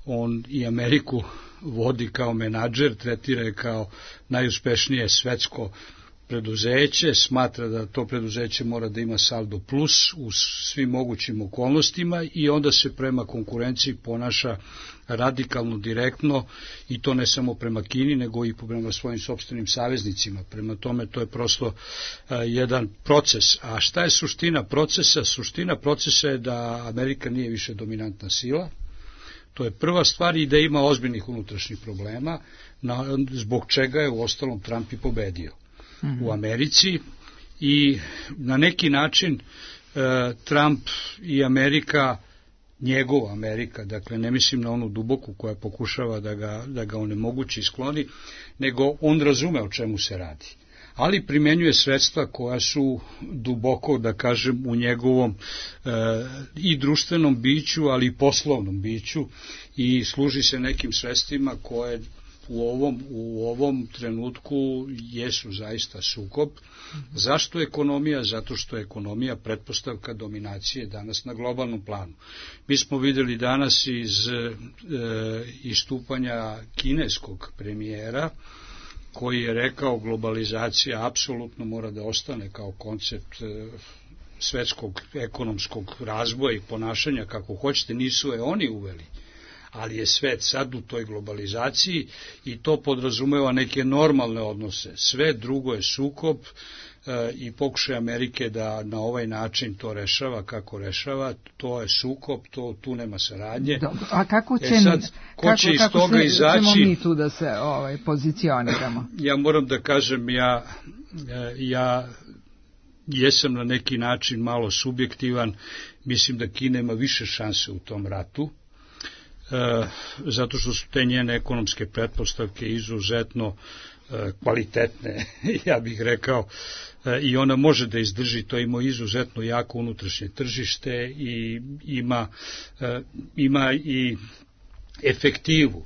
On i Ameriku vodi kao menadžer, tretira je kao najuspešnije svetsko preduzeće, smatra da to preduzeće mora da ima saldo plus u svim mogućim okolnostima i onda se prema konkurenciji ponaša radikalno, direktno i to ne samo prema Kini, nego i prema svojim sopstvenim saveznicima. Prema tome to je prosto a, jedan proces. A šta je suština procesa? Suština procesa je da Amerika nije više dominantna sila. To je prva stvar i da ima ozbiljnih unutrašnjih problema, na, zbog čega je u ostalom Trump i pobedio u Americi i na neki način e, Trump i Amerika, njegova Amerika, dakle ne mislim na onu duboku koja pokušava da ga, da ga onemogući i skloni, nego on razume o čemu se radi. Ali primenjuje sredstva koja su duboko, da kažem, u njegovom e, i društvenom biću, ali i poslovnom biću i služi se nekim sredstvima koje u ovom, u ovom trenutku jesu zaista sukob. Zašto ekonomija? Zato što je ekonomija pretpostavka dominacije danas na globalnom planu. Mi smo videli danas iz e, istupanja kineskog premijera, koji je rekao globalizacija apsolutno mora da ostane kao koncept e, svetskog ekonomskog razvoja i ponašanja, kako hoćete, nisu je oni uveli, ali je svet sad u toj globalizaciji i to podrazumeva neke normalne odnose. Sve drugo je sukob e, i pokušaj Amerike da na ovaj način to rešava kako rešava, to je sukob, to, tu nema saradnje. Dobro, a kako će, e sad, ko kako, će iz kako toga se, izaći? ćemo mi tu da se ovaj, pozicioniramo? Ja moram da kažem, ja, ja jesam na neki način malo subjektivan, mislim da Kina ima više šanse u tom ratu, E, zato što su te njene ekonomske pretpostavke izuzetno e, kvalitetne, ja bih rekao, e, i ona može da izdrži, to ima izuzetno jako unutrašnje tržište i ima, e, ima i efektivu.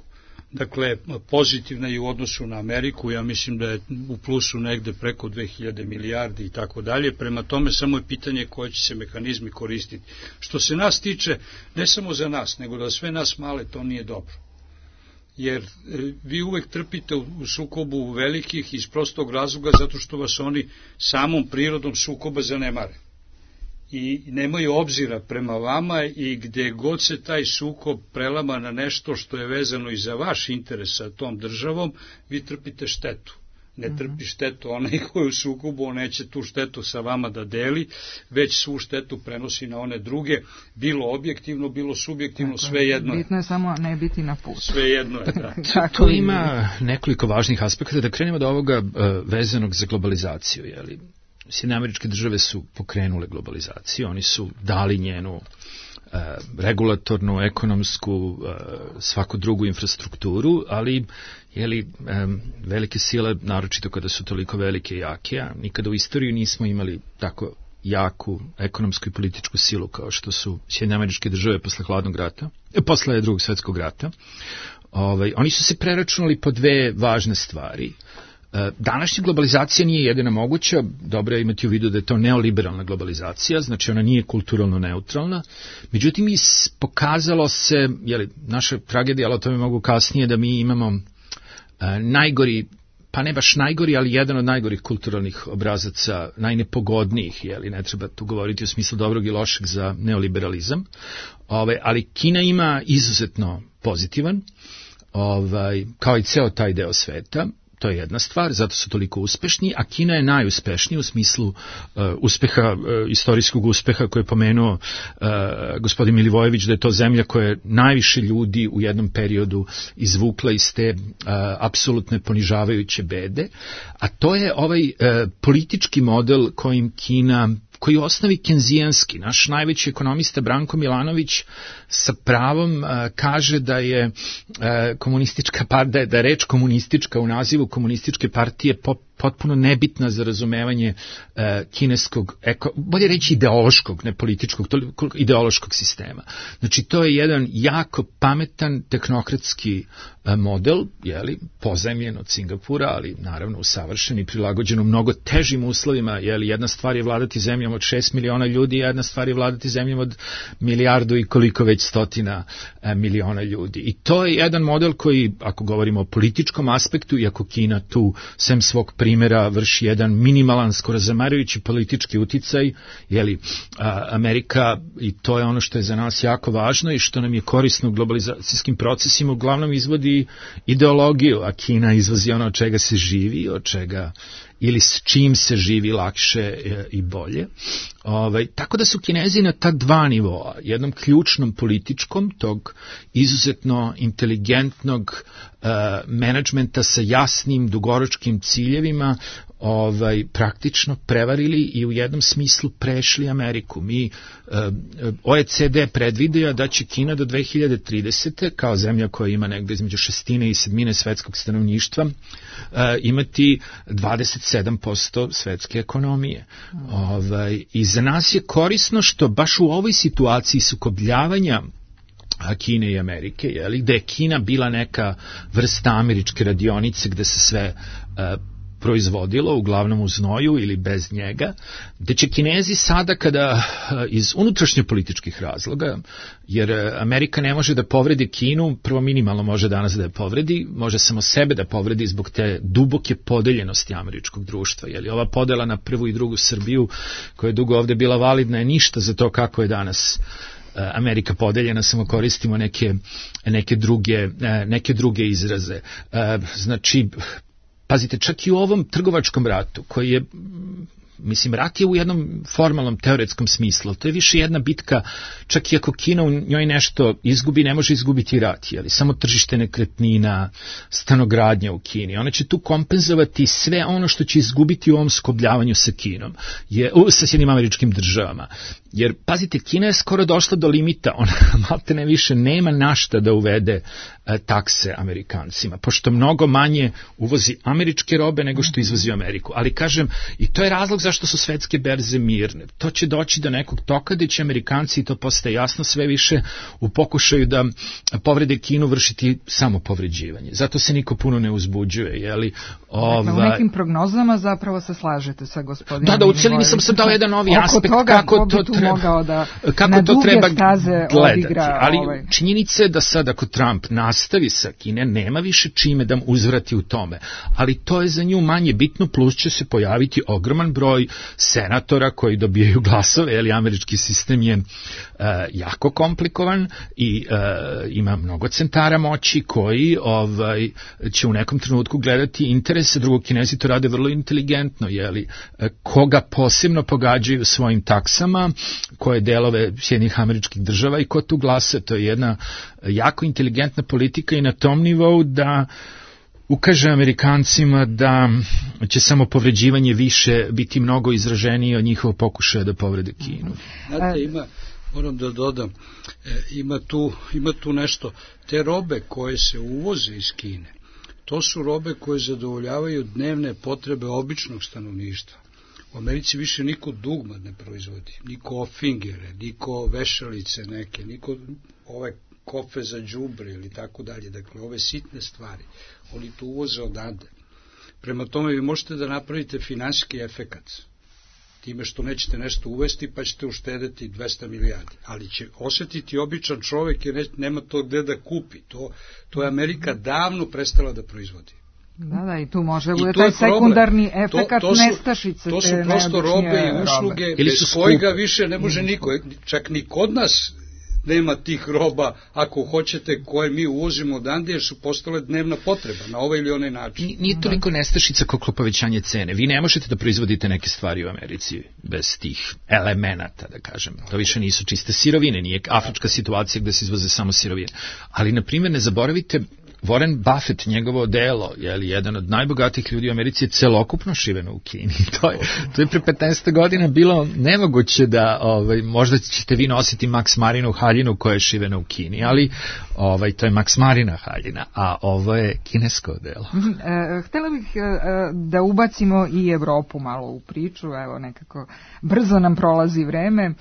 Dakle, pozitivna je u odnosu na Ameriku, ja mislim da je u plusu negde preko dve hiljade milijardi i tako dalje, prema tome samo je pitanje koje će se mehanizmi koristiti. Što se nas tiče, ne samo za nas, nego da sve nas male, to nije dobro. Jer vi uvek trpite u sukobu velikih iz prostog razloga zato što vas oni samom prirodom sukoba zanemare. I nemaju obzira prema vama i gde god se taj sukob prelama na nešto što je vezano i za vaš interes sa tom državom, vi trpite štetu. Ne trpi štetu onaj koji u sukobu, on neće tu štetu sa vama da deli, već svu štetu prenosi na one druge, bilo objektivno, bilo subjektivno, sve jedno je. Bitno je samo ne biti na putu. Sve jedno je, da. Tu ima nekoliko važnih aspekata, da krenemo od ovoga vezanog za globalizaciju, jeli? Sjedinjene Američke Države su pokrenule globalizaciju, oni su dali njenu e, regulatornu, ekonomsku, e, svaku drugu infrastrukturu, ali jeli, e, velike sile, naročito kada su toliko velike i jake, a nikada u istoriji nismo imali tako jaku ekonomsku i političku silu kao što su Sjedinjene Američke Države posle hladnog rata, e, posle drugog svetskog rata. Ovaj, oni su se preračunali po dve važne stvari. Današnja globalizacija nije jedina moguća, dobro je imati u vidu da je to neoliberalna globalizacija, znači ona nije kulturalno neutralna, međutim i pokazalo se, jeli, naša tragedija, ali o tome mogu kasnije, da mi imamo uh, najgori, pa ne baš najgori, ali jedan od najgorih kulturalnih obrazaca, najnepogodnijih, jeli, ne treba tu govoriti u smislu dobrog i lošeg za neoliberalizam, ovaj, ali Kina ima izuzetno pozitivan, ovaj, kao i ceo taj deo sveta. To je jedna stvar, zato su toliko uspešni, a Kina je najuspešnija u smislu uh, uspeha, uh, istorijskog uspeha koje je pomenuo uh, gospodin Milivojević, da je to zemlja koja je najviše ljudi u jednom periodu izvukla iz te uh, apsolutne ponižavajuće bede, a to je ovaj uh, politički model kojim Kina, koji u osnovi kenzijanski. Naš najveći ekonomista Branko Milanović sa pravom uh, kaže da je uh, komunistička partija, da je reč komunistička u nazivu komunističke partije potpuno nebitna za razumevanje uh, kineskog, eko, bolje reći ideološkog, ne političkog, toliko ideološkog sistema. Znači, to je jedan jako pametan tehnokratski uh, model, jeli, pozajmljen od Singapura, ali naravno usavršen i prilagođen u mnogo težim uslovima, jeli, jedna stvar je vladati zemljom od šest miliona ljudi, jedna stvar je vladati zemljom od milijardu i koliko već stotina uh, miliona ljudi. I to je jedan model koji, ako govorimo o političkom aspektu, iako Kina tu, sem svog primjera, vrši jedan minimalan, skoro zamarujući politički uticaj, jeli, a, Amerika, i to je ono što je za nas jako važno i što nam je korisno u globalizacijskim procesima, uglavnom izvodi ideologiju, a Kina izvozi ono od čega se živi, od čega ili s čim se živi lakše i bolje. Ovaj, tako da su Kinezi na ta dva nivoa, jednom ključnom političkom, tog izuzetno inteligentnog uh, menadžmenta sa jasnim dugoročkim ciljevima, ovaj, praktično prevarili i u jednom smislu prešli Ameriku. Mi, uh, O E C D predvideo da će Kina do dve hiljade tridesete kao zemlja koja ima negde između šestine i sedmine svetskog stanovništva uh, imati dvadeset sedam posto svetske ekonomije. Mm. Ovaj, I za nas je korisno što baš u ovoj situaciji sukobljavanja Kine i Amerike, jeli, gde je Kina bila neka vrsta američke radionice gde se sve uh, proizvodilo, uglavnom u znoju ili bez njega, gde će Kinezi sada kada iz unutrašnje političkih razloga, jer Amerika ne može da povredi Kinu, prvo minimalno može danas da je povredi, može samo sebe da povredi zbog te duboke podeljenosti američkog društva. Jeli, ova podela na prvu i drugu Srbiju, koja je dugo ovde bila validna, je ništa za to kako je danas Amerika podeljena, samo koristimo neke, neke, druge, neke druge izraze. Znači, pazite, čak i u ovom trgovačkom ratu, koji je, mislim, rat je u jednom formalnom, teoretskom smislu, to je više jedna bitka, čak i ako Kina u njoj nešto izgubi, ne može izgubiti rat, jeli, samo tržište nekretnina, stanogradnja u Kini. Ona će tu kompenzovati sve ono što će izgubiti u ovom skobljavanju sa Kinom, je, u, sa Sjedinjenim Američkim Državama. Jer, pazite, Kina je skoro došla do limita, ona malte ne više nema našta da uvede e, takse Amerikancima, pošto mnogo manje uvozi američke robe nego što izvozi u Ameriku. Ali kažem, i to je razlog zašto su svetske berze mirne. To će doći do nekog toka gde će Amerikanci, i to postaje jasno, sve više u pokušaju da povrede Kinu vršiti samo povređivanje. Zato se niko puno ne uzbuđuje. Jeli, ova... Dakle, u nekim prognozama zapravo se slažete sa gospodinom. Da, da, u celini sam sam dao jedan novi aspekt toga, kako to treba, mogao da kako to treba gledati. Odigra, ali ovaj. Činjenica je da sad ako Trump nastavi sa Kine, nema više čime da mu uzvrati u tome. Ali to je za nju manje bitno, plus će se pojaviti ogroman broj senatora koji dobijaju glasove, jer američki sistem je uh, jako komplikovan i uh, ima mnogo centara moći koji ovaj, će u nekom trenutku gledati interese drugog. Kinezi to rade vrlo inteligentno, jeli, koga posebno pogađaju svojim taksama, koje delove Sjedinjenih Američkih Država i ko tu glasa. To je jedna jako inteligentna politika i na tom nivou da ukaže Amerikancima da će samo povređivanje više biti mnogo izraženije od njihovog pokušaja da povrede Kinu. Znate, ima, moram da dodam, ima tu, ima tu nešto, te robe koje se uvoze iz Kine, to su robe koje zadovoljavaju dnevne potrebe običnog stanovništva. U Americi više niko dugma ne proizvodi, niko ofingere, niko vešalice neke, niko ove kofe za đubre ili tako dalje. Dakle, ove sitne stvari, oni to uvoze odande. Prema tome, vi možete da napravite finansijski efekat time što nećete nešto uvesti, pa ćete uštedeti dvesta milijardi. Ali će osjetiti običan čovek jer nema to gde da kupi. To, to je Amerika davno prestala da proizvodi. Da, da, i tu može bude taj sekundarni efekat to, to su, nestašice. To su prosto robe i usluge, robe. Bez kojega više ne može niko. Čak ni kod nas nema tih roba, ako hoćete, koje mi uvozimo odande, jer su postale dnevna potreba, na ovaj ili onaj način. Nije toliko nestašica koliko povećanje cene. Vi ne možete da proizvodite neke stvari u Americi bez tih elemenata, da kažem. To više nisu čiste sirovine, nije afrička situacija gde se izvoze samo sirovine. Ali, na primjer, ne zaboravite, Warren Buffett, njegovo delo, je li jedan od najbogatijih ljudi u Americi, je celokupno šiveno u Kini. To je, to je pre petnaest godina bilo nemoguće da, ovaj, možda ćete vi nositi Max Marinu haljinu koja je šivena u Kini, ali ovaj, to je Max Marina haljina, a ovo je kinesko delo. E, htjela bih e, da ubacimo i Evropu malo u priču, evo nekako brzo nam prolazi vreme. E,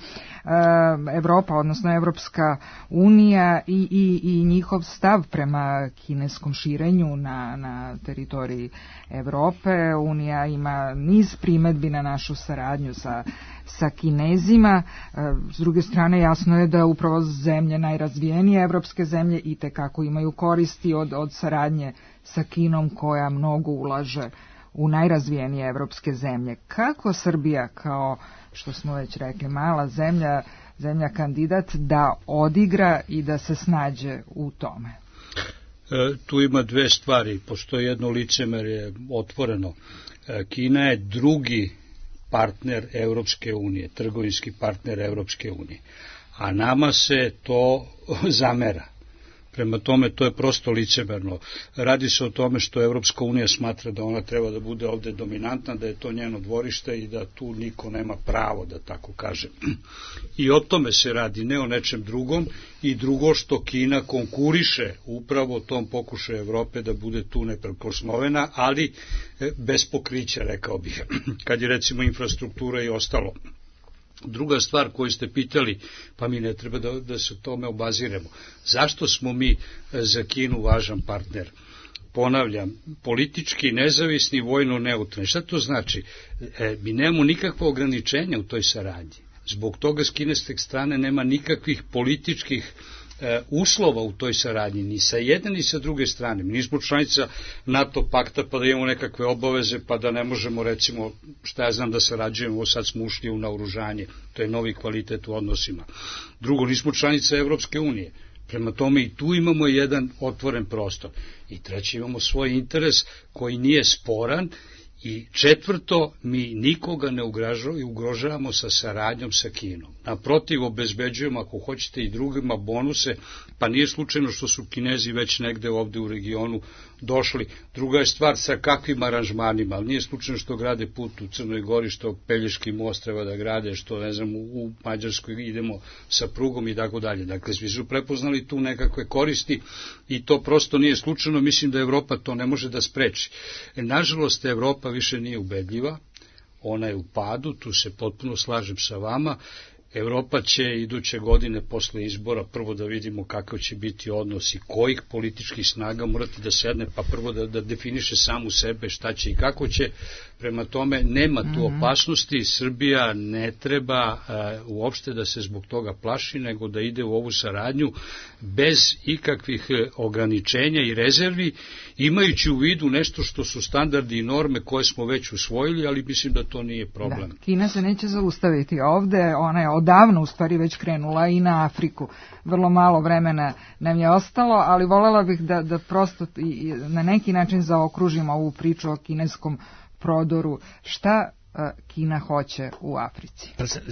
Evropa, odnosno Evropska unija i, i, i njihov stav prema kineskom širenju na, na teritoriji Evrope. Unija ima niz primedbi na našu saradnju sa, sa Kinezima. S druge strane, jasno je da upravo zemlje, najrazvijenije evropske zemlje, i tekako imaju koristi od, od saradnje sa Kinom, koja mnogo ulaže u najrazvijenije evropske zemlje. Kako Srbija, kao što smo već rekli, mala zemlja, zemlja kandidat, da odigra i da se snađe u tome? E, tu ima dve stvari. Postoji jedno licemerje otvoreno. E, Kina je drugi partner Evropske unije, trgovinski partner Evropske unije, a nama se to zamera. Prema tome, to je prosto licemerno. Radi se o tome što Evropska unija smatra da ona treba da bude ovde dominantna, da je to njeno dvorište i da tu niko nema pravo, da tako kažem. I o tome se radi, ne o nečem drugom. I drugo, što Kina konkuriše upravo tom pokušaju Evrope da bude tu neprikosnovena, ali bez pokrića, rekao bih, kad je recimo infrastruktura i ostalo. Druga stvar koju ste pitali, pa mi ne treba da, da se tome obaziremo. Zašto smo mi za Kinu važan partner? Ponavljam, politički nezavisni, vojno neutralni. Šta to znači? E, mi nemamo nikakva ograničenja u toj saradnji. Zbog toga s kineske strane nema nikakvih političkih e, uslova u toj saradnji, ni sa jedne ni sa druge strane. Mi nismo članica NATO pakta pa da imamo nekakve obaveze, pa da ne možemo, recimo, šta ja znam, da sarađujemo, sad smo ušli u naoružanje, to je novi kvalitet u odnosima. Drugo, nismo članica Evropske unije. Prema tome i tu imamo jedan otvoren prostor. I treće, imamo svoj interes koji nije sporan. I četvrto, mi nikoga ne ugrožavamo sa saradnjom sa Kinom. Naprotiv, obezbeđujemo, ako hoćete, i drugima bonuse, pa nije slučajno što su Kinezi već negde ovde u regionu došli. Druga je stvar sa kakvim aranžmanima, ali nije slučajno što grade put u Crnoj Gori, što Pelješki most treba da grade, što, ne znam, u Mađarskoj idemo sa prugom i tako dalje. Dakle, svi su prepoznali tu nekakve koristi i to prosto nije slučajno. Mislim da Evropa to ne može da spreči. E, nažalost, Evropa više nije ubedljiva, ona je u padu, tu se potpuno slažem sa vama. Evropa će iduće godine posle izbora prvo da vidimo kakav će biti odnos i kojih političkih snaga morati da sedne, pa prvo da, da definiše samu sebe šta će i kako će. Prema tome, nema tu opasnosti, Srbija ne treba uh, uopšte da se zbog toga plaši, nego da ide u ovu saradnju bez ikakvih ograničenja i rezervi, imajući u vidu nešto što su standardi i norme koje smo već usvojili, ali mislim da to nije problem. Da, Kina se neće zaustaviti ovde, ona je odavno u stvari već krenula i na Afriku. Vrlo malo vremena nam je ostalo, ali voljela bih da, da prosto i na neki način zaokružimo ovu priču o kineskom prodoru. Šta Kina hoće u Africi?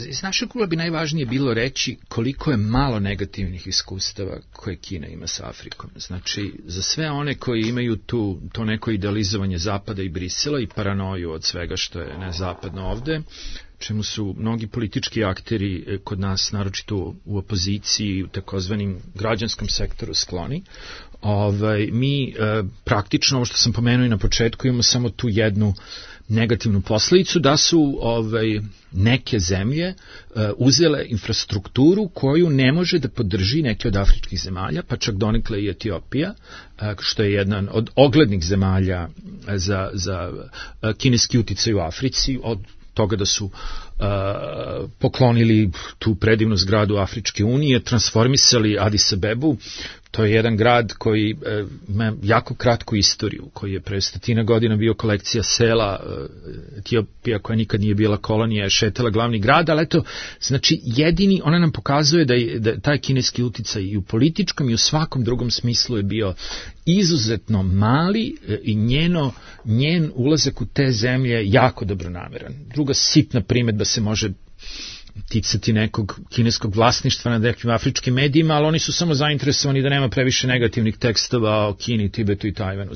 Iz našeg ugla bi najvažnije bilo reći koliko je malo negativnih iskustava koje Kina ima sa Afrikom. Znači, za sve one koji imaju tu, to neko idealizovanje Zapada i Brisela i paranoju od svega što je nezapadno ovde, čemu su mnogi politički akteri kod nas, naročito u opoziciji, u takozvanim građanskom sektoru skloni, ovaj, mi e, praktično, ovo što sam pomenuo i na početku, imamo samo tu jednu negativnu posledicu, da su ovaj, neke zemlje uh, uzele infrastrukturu koju ne može da podrži neke od afričkih zemalja, pa čak donekle i Etiopija, uh, što je jedan od oglednih zemalja za, za uh, kineski uticaj u Africi, od toga da su uh, poklonili tu predivnu zgradu Afričke unije, transformisali Adis Abebu. To je jedan grad koji e, ima jako kratku istoriju, koji je pre stotina godina bio kolekcija sela. Etiopija, koja nikad nije bila kolonija, je šetala glavni grad, ali eto, znači jedini, ona nam pokazuje da je da taj kineski uticaj i u političkom i u svakom drugom smislu je bio izuzetno mali e, i njeno, njen ulazak u te zemlje jako dobronameran. Druga sitna primedba se može ticati nekog kineskog vlasništva nad nekim afričkim medijima, ali oni su samo zainteresovani da nema previše negativnih tekstova o Kini, Tibetu i Tajvanu.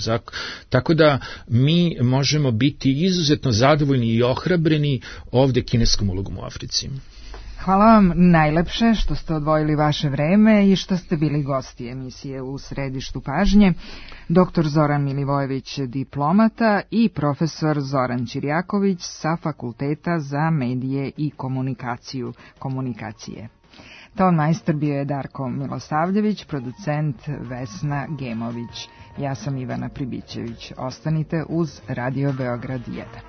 Tako da mi možemo biti izuzetno zadovoljni i ohrabreni ovde kineskom ulogom u Africi. Hvala vam najlepše što ste odvojili vaše vreme i što ste bili gosti emisije U središtu pažnje. Doktor Zoran Milivojević, diplomata, i profesor Zoran Ćirjaković sa Fakulteta za medije i komunikaciju komunikacije. Ton majstor bio je Darko Milosavljević, producent Vesna Gemović. Ja sam Ivana Pribićević. Ostanite uz Radio Beograd jedan.